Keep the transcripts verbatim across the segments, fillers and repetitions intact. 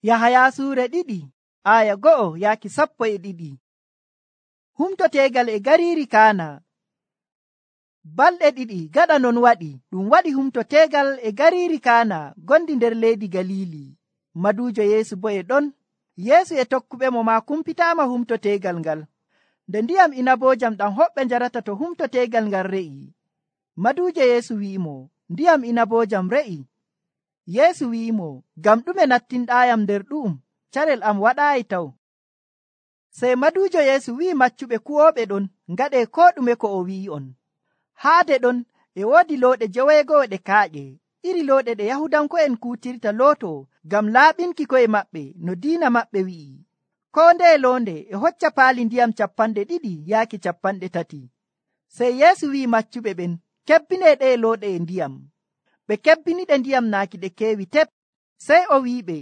Yahaya suure ɗiɗi aya go'o yaaki sappo e ɗiɗi. Humto teegal e gariiri Kaana. Balɗe ɗiɗi gaɗa non waɗi ɗum waɗi humto teegal e gariiri Kaana gondi nder leydi Galili. Maduujo Yeesu bo e ɗon. Yeesu e tokkuɓemo maa kumpitaama humto teegal ngal. Nde ndiyam inaboojam ɗam hoɓɓe njarata to humto teegal ngal re'i, maduujo Yeesu wi'imo, ndiyam inaboojam re'i. Yeesu wi'imo, ngam ɗume nattinɗaayam nder ɗu'um? Carel am waɗaayi taw. Sey maduujo Yeesu wi'i maccuɓe kuwooɓe ɗon, ngaɗee koo ɗume ko o wi'i'on. Haade ɗon e woodi looɗe joweego'o ɗe kaaƴe, iri looɗe ɗe Yahudanko'en kuutirta looto ngam laaɓinki ko'e maɓɓe no diina maɓɓe wi'i. Koo ndeye loonde e hocca paali ndiyam cappanɗe ɗiɗi yaaki cappanɗe tati. Sey Yeesu wi'i maccuɓe ɓen, kebbinee ɗee looɗe e ndiyam. Ɓe kebbiniɗe ndiyam naaki ɗe keewi tep. Sey o wi'iɓe,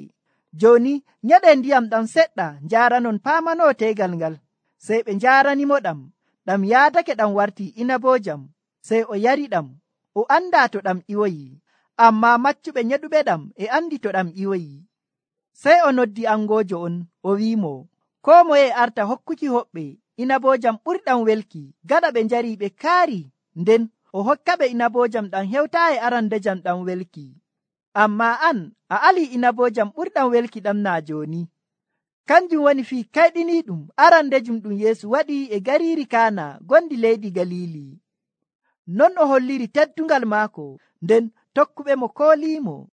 jooni nyeɗee ndiyam ɗam seɗɗa njaaranon paamanoo teegal ngal. Sey ɓe njaaranimo ɗam. Ɗam yaadake ɗam wartii inaboojam. Sey o yariɗam. O andaa to ɗam ƴiwoyi, ammaa maccuɓe nyeɗuɓe ɗam e andi to ɗam ƴiwoyi. Sey o noddi angoojo on, o wi'imo, koo moye arta hokkuki hoɓɓe inaboojam ɓurɗam welki, gaɗa ɓe njarii ɓe kaari, nden o hokkaɓe inaboojam ɗam hewtaayi arandejam ɗam welki. Ammaa an, a alii inaboojam ɓurɗam welki ɗam naa jooni. Kanjum woni fii kayɗiniiɗum arandejum ɗum Yeesu waɗi e gariiri Kaana gondi leydi Galili. Non o holliri teddungal maako, nden tokkuɓemo kooliimo.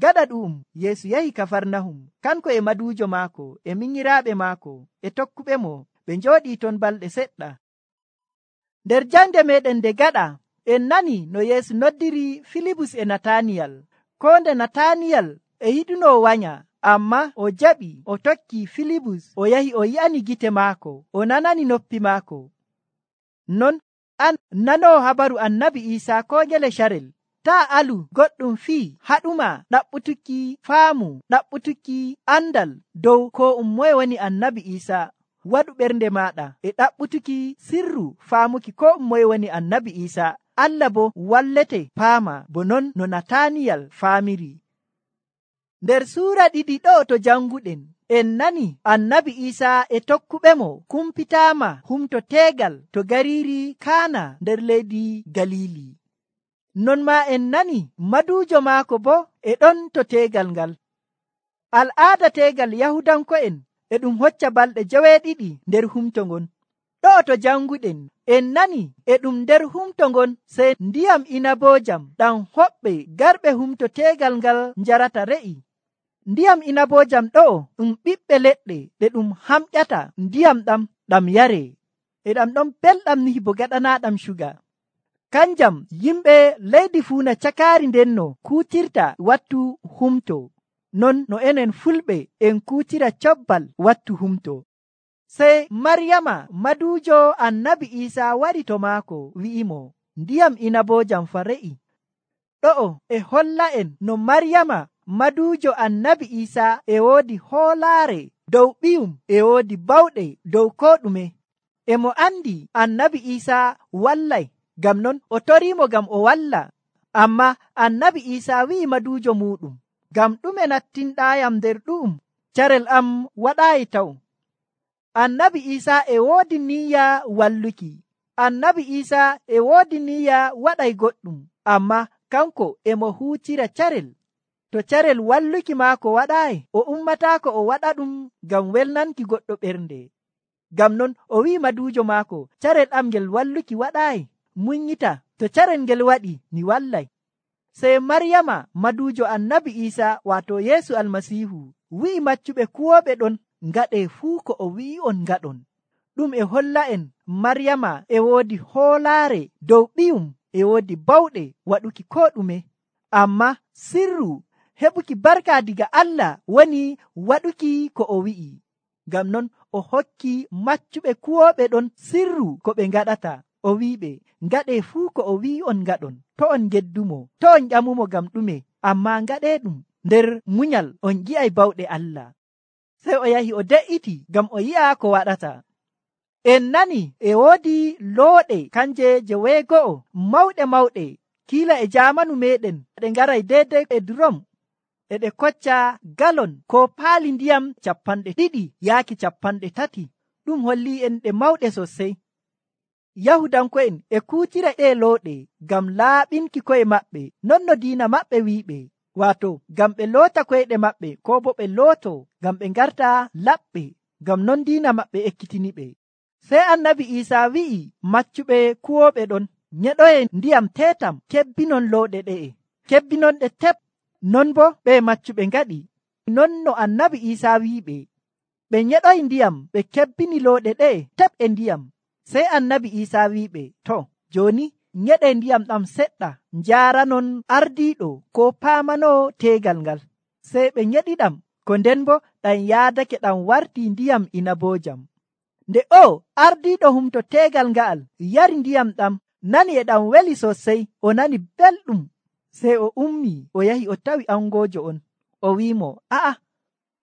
Gaɗa ɗu'um Yeesu yahi Kafarnahum, kanko e maduujo maako e minyiraaɓe maako e tokkuɓemo. Ɓe njooɗii ton balɗe seɗɗa. Nder jande meɗen nde gaɗa, en nani no Yeesu noddiri Filibus e Nataniyal. Koo nde Nataniyal e yiɗuno wanya, amma o jaɓi o tokki Filibus o yahi o yi'ani gite maako, o nanani noppi maako. Non an nanoo habaru annabi Iisaa koo ngele carel, taa alu goɗɗum fii haɗuma ɗaɓɓutuki faamu, ɗaɓɓutuki andal dow ko um moye woni annabi Iisaa. Waɗu ɓernde maaɗa e ɗaɓɓutuki sirru faamuki ko um moye woni annabi Iisaa. Allah bo wallete paama bo non no Nataniyal faamiri. Nder suura ɗiɗi ɗo to janguɗen, en nani annabi Iisaa e tokkuɓemo kumpitaama humto teegal to gariiri Kaana nder leydi Galili. Non maa en nani maduujo maako bo e ɗon to teegal ngal. Al'aada teegal Yahudanko'en e ɗum hocca balɗe joweeɗiɗi nder humto ngon. Ɗo to janguɗen, en nani e ɗum nder humto ngon sey ndiyam inaboojam ɗam hoɓɓe garɓe humto teegal ngal njarata re'i. Ndiyam inaboojam ɗo ɗum ɓiɓɓe leɗɗe ɗe ɗum hamƴata ndiyam ɗam ɗam yare, e ɗam ɗon belɗam ni bo gaɗanaaɗam shuga. Kanjam yimɓe leydi fuuna cakaari ndenno kuutirta wattu humto, non no enen fulɓe en kuutira cobbal wattu humto. Sey Maryama maduujo annabi Iisaa wari to maako wi'imo, ndiyam inaboojam fa re'i. Ɗo'o e holla en no Maryama maduujo annabi Iisaa e woodi hoolaare dow ɓiyum e woodi bawɗe dow koo ɗume. E mo andi annabi Iisaa wallay, ngam non o toriimo ngam o walla. Amma annabi Iisaa wi'i maduujo muuɗum, ngam ɗume nattinɗaayam nder ɗu'um? Carel am waɗaayi taw. Annabi Iisaa e woodi niyya walluki. Annabi Iisaa e woodi niyya waɗay goɗɗum, amma kanko e mo huutira carel. To carel walluki maako waɗaayi, o ummataako o waɗa ɗum ngam welnanki goɗɗo ɓernde. Ngam non o wi'i maduujo maako, carel am ngel walluki waɗaayi, munyita, to carel ngel waɗi mi wallay. Sey Maryama maduujo annabi Iisaa waato Yeesu Almasiihu wi'i maccuɓe kuwooɓe ɗon, ngaɗee fuu ko o wi'i'on ngaɗon. Ɗum e holla en Maryama e woodi hoolaare dow ɓiyum e woodi bawɗe waɗuki koo ɗume, amma sirru heɓuki barka diga Allah woni waɗuki ko o wi'i. Ngam non o hokki maccuɓe kuwooɓe ɗon sirru ko ɓe ngaɗata. O wi'iɓe, ngaɗee fuu ko o wi'i'on ngaɗon, to on geddumo, to on ƴamumo ngam ɗume, amma ngaɗee ɗum nder munyal, on yi'ay bawɗe Allah. Sey o yahi o de'iti ngam o yi'a ko waɗata. En nani e woodi looɗe kanje joweego'o mawɗe mawɗe kiila e jaamanu meɗen ɗe ngaray deydey e durom. e ɗe kocca galon ko paali ndiyam capanɗe ɗiɗi yaaki capanɗe tati. Ɗum holli en ɗe mawɗe sosai. Yahudanko'en e kuutira ɗe looɗe ngam laaɓinki ko'e maɓɓe, non no diina maɓɓe wi'iɓe, waato ngam ɓe loota koyɗe maɓɓe, ko bo ɓe looto ngam ɓe ngarta laɓɓe, ngam non diina maɓɓe ekkitiniɓe. Sey annabi Iisaa wi'i maccuɓe kuwooɓe ɗon, nyeɗoyen ndiyam teetam, kebbinon looɗe ɗe'e, kebbinonɗe tep. Non bo ɓe maccuɓe ngaɗi, non no annabi Iisaa wi'iɓe. Ɓe nyeɗoyi ndiyam, ɓe kebbini looɗe ɗe'e tep e ndiyam. Sey annabi Iisaa wi'iɓe, to, jooni nyeɗe ndiyam ɗam seɗɗa, njaaranon ardiiɗo ko paamanoo teegal ngal. Sey ɓe nyeɗiɗam, ko nden bo ɗam yaadake ɗam wartii ndiyam inaboojam. Nde o ardiiɗo humto teegal nga'al yari ndiyam ɗam, nani e ɗam weli sosai, o nani belɗum. Sey o ummii o yahi o tawi angoojo on, o wi'imo, a'a,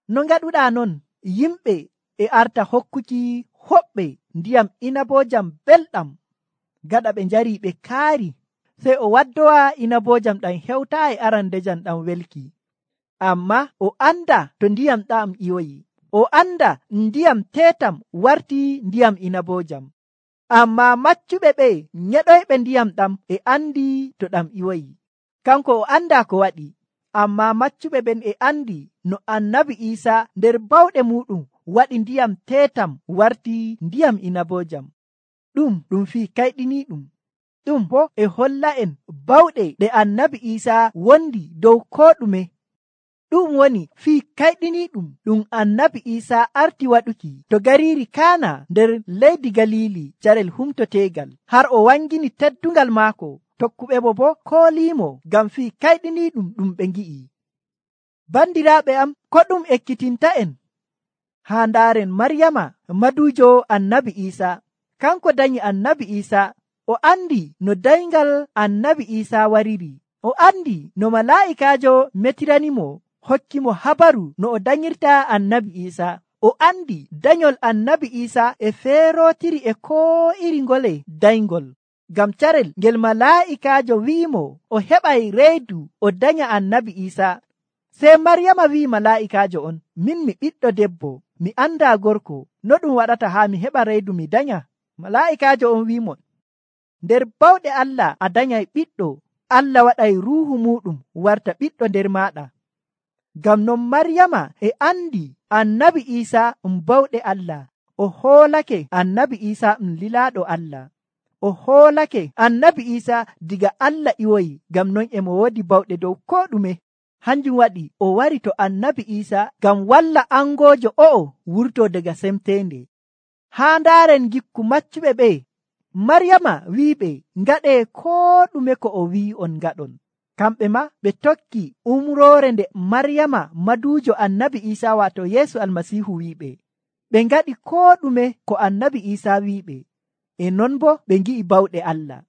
no ngaɗuɗaa non? Yimɓe e arta hokkuki hoɓɓe ndiyam inaboojam belɗam. Gaɗa ɓe njari ɓe kaari, sey o waddowa inaboojam ɗam hewtaa e arandejam ɗam welki. Amma o anda to ndiyam ɗam iwoyi, o anda ndiyam teetam wartii ndiyam inaboojam. Amma maccuɓe ɓe nyeɗoyɓe ndiyam ɗam e andi to ɗam iwoyi. Kanko o anda ko waɗi, amma maccuɓe ɓen e andi no annabi Iisaa nder bawɗe muɗum waɗi ndiyam teetam wartii ndiyam inaboojam. Ɗum ɗum fii kayɗiniiɗum. Ɗum bo e holla en bawɗe ɗe annabi Iisaa wondi dow koo ɗume. Ɗum woni fii kayɗiniiɗum ɗum annabi Iisaa arti waɗuki to gariiri Kaana nder leydi Galiili carel humto teegal, har o wangini teddungal maako. Tokkuɓe mo bo kooliimo ngam fii kayɗiniiɗum ɗum ɓe ngi'i. Bandiraaɓe am, ko ɗum ekkitinta en haa ndaaren Maryama maduujo annabi Iisaa. Kanko danyi annabi Iisaa, o andi no dayngal annabi Iisaa wariri. O andi no malaa'ikaajo metiranimo hokkimo habaru no o danyirta annabi Iisaa. O andi danyol annabi Iisaa e feerootiri e koo iri ngole dayngol. Ngam carel ngel malaa'ikaajo wi'imo o heɓay reedu o danya annabi Iisaa. Sey Maryama wi'i malaa'ikaajo on, min mi ɓiɗɗo debbo, mi andaa gorko, no ɗum waɗata haa mi heɓa reedu mi danya? Malaa'ikaajo on wi'imo, nder bawɗe Allah a danyay ɓiɗɗo, Allah waɗay ruuhu muɗum warta ɓiɗɗo nder maaɗa. Ngam non Maryama e andi annabi Iisaa um bawɗe Allah. O hoolake annabi Iisaa um lilaaɗo Allah. O hoolake annabi Iisaa diga Allah iwoyi, ngam non e mo woodi bawɗe dow koo ɗume. Hanjum waɗi o wari to annabi Iisaa ngam walla angoojo o'o wurtoo daga semteende. Haa ndaaren gikku maccuɓe ɓe, Maryama wi'iɓe ngaɗee koo ɗume ko o wi'i on ngaɗon. Kamɓe ma ɓe tokki umroore nde Maryama maduujo annabi Iisaa waato Yeesu Almasiihu wi'iɓe. Ɓe ngaɗi koo ɗume ko annabi Iisaa wi'iɓe, e non bo ɓe ngi'i bawɗe Allah.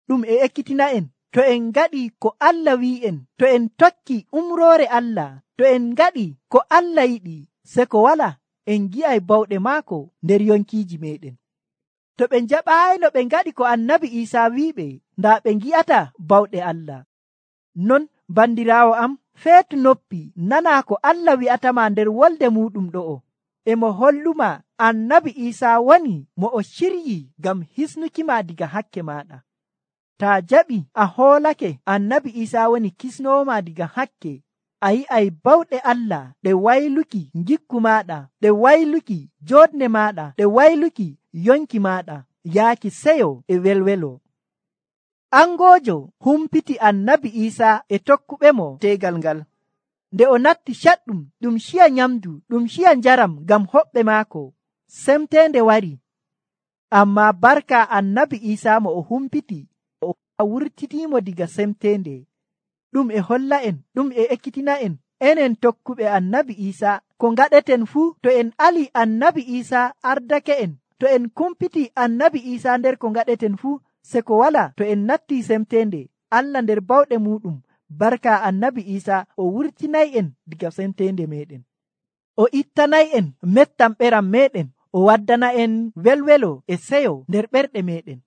Ɗum e ekkitina en, to en ngaɗi ko Allah wi'en, to en tokki umroore Allah, to en ngaɗi ko Allah yiɗi, se ko wala en ngi'ay bawɗe maako nder yonkiiji meɗen. To ɓe njaɓaayno ɓe ngaɗi ko annabi Iisaa wi'iɓe, ndaa ɓe ngi'ata bawɗe Allah. Non bandiraawo am, feetu noppi nanaa ko Allah wi'atama nder wolde muɗum ɗo'o. E mo holluma annabi Iisaa woni mo o ciryi ngam hisnukima diga hakke maɗa. Taa jaɓi a hoolake annabi Iisaa woni kisnooma diga hakke, a yi'ay bawɗe Allah ɗe wayluki ngikku maɗa, ɗe wayluki jooɗne maɗa, ɗe wayluki yonki maɗa, yaaki seyo e welwelo. Angoojo humpiti annabi Iisaa e tokkuɓe mo teegal ngal. Nde o natti caɗɗum, ɗum ciya nyamdu, ɗum ciya njaram ngam hoɓɓe maako. Semteende wari. Amma barka annabi Iisaa mo o humpiti, o wurtitiimo diga semteende. Ɗum e holla en, ɗum e ekkitina en, enen tokkuɓe annabi Iisaa, ko ngaɗeten fuu to en ali annabi Iisaa ardake en, to en kumpiti annabi Iisaa nder ko ngaɗeten fuu, se ko wala to en natti semteende, Allah nder bawɗe muɗum, barka annabi Iisaa o wurtinay en diga semteende meɗen. O ittanay en mettam ɓeram meɗen, o waddana en welwelo e seyo nder ɓerɗe meɗen.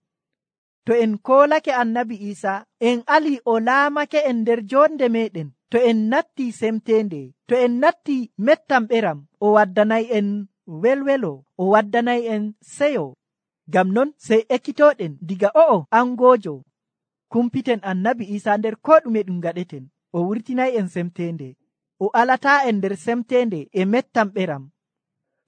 To en koolake annabi Iisaa, en ali o laamake en nder jonde meɗen, to en natti semtende, to en natti mettam ɓeram, o waddanay en welwelo, o waddanay en seyo. Ngam non sey ekkitoɗen diga o'o angojo kumpiten annabi Isa nder ko ɗume ɗum gaɗeten. O wurtinay en semtende, o alata en nder semtende e mettam ɓeram.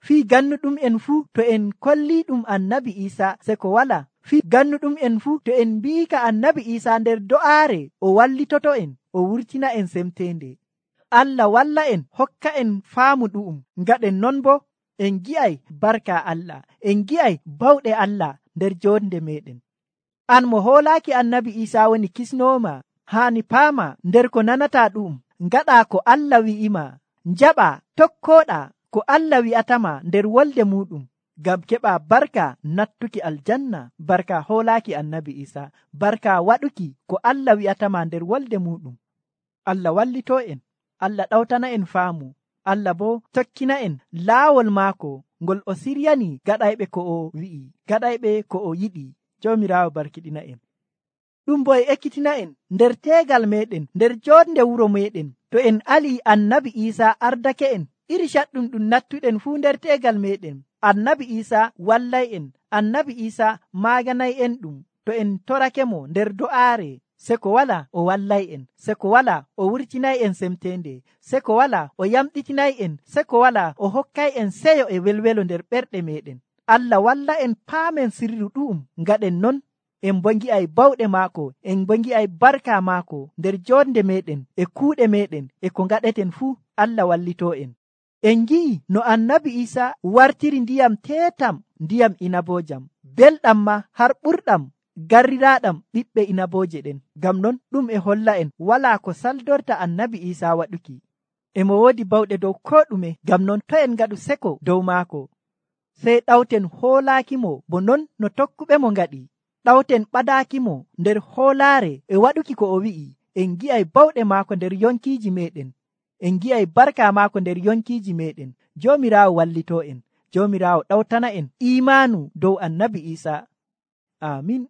Fii gannuɗum en fuu to en kolli ɗum annabi Isa se ko wala. Fii gannuɗum en fuu to en mbiika annabi Isa nder do'aare o wallitoto en, o wurtina en semtende. Allah walla en, hokka en faamu ɗu'um. Ngaɗen non bo en gi'ay barka Allah, en gi'ay bawɗe Allah nder jonde meɗen. An mo hoolaaki annabi Isa woni kisnooma, haani paama nder ko nanata ɗum, ngaɗa ko Allah wi'ima, njaɓa tokkoɗa ko Allah wi'atama nder wolde muɗum, ngam keɓa barka nattuki aljanna, barka hoolaaki annabi Isa, barka waɗuki ko Allah wi'atama nder wolde muɗum. Allah wallito en, Allah ɗawtana en faamu, Allah bo tokkina en laawol maako ngol o siryani gaɗayɓe ko o wi'i, gaɗayɓe ko o yiɗi. Joomiraawo barkiɗina en. Ɗum bo e ekkitina en nder teegal meɗen, nder jonde wuro meɗen, to en ali annabi Isa ardake en, iri caɗɗum ɗum nattuɗen fuu nder teegal meɗen. Annabi Isa wallay en, annabi Isa maaganay en ɗum. To en torake mo nder do'aare, se ko wala o wallay en, se ko wala o wurtinay en semtende, se ko wala o yamɗitinay en, se ko wala o hokkay en seyo e welwelo nder ɓerɗe meɗen. Allah walla en paamen sirru ɗu'um, ngaɗen non en bo ngi'ay bawɗe maako, en bo ngi'ay barka maako nder jonde meɗen e kuuɗe meɗen e ko ngaɗeten fuu. Allah wallito en. En ngi'i no annabi Isa wartiri ndiyam teetam, ndiyam inabojam, belɗam ma har ɓurɗam garriraaɗam ɓiɓɓe inaboje ɗen. Ngam non ɗum e holla en walaa ko saldorta annabi Isa waɗuki. E mo woodi bawɗe dow ko ɗume. Ngam non to en ngaɗu seko dow maako, sey ɗawten hoolaakimo bo non no tokkuɓe mo ngaɗi. Ɗawten ɓadaakimo nder hoolaare e waɗuki ko o wi'i. En ngi'ay bawɗe maako nder yonkiiji meɗen. En ngi'ay barka maako nder yonkiiji meɗen. Joomiraawo wallito en. Joomiraawo ɗawtana en imaanu dow annabi Isa. Amin.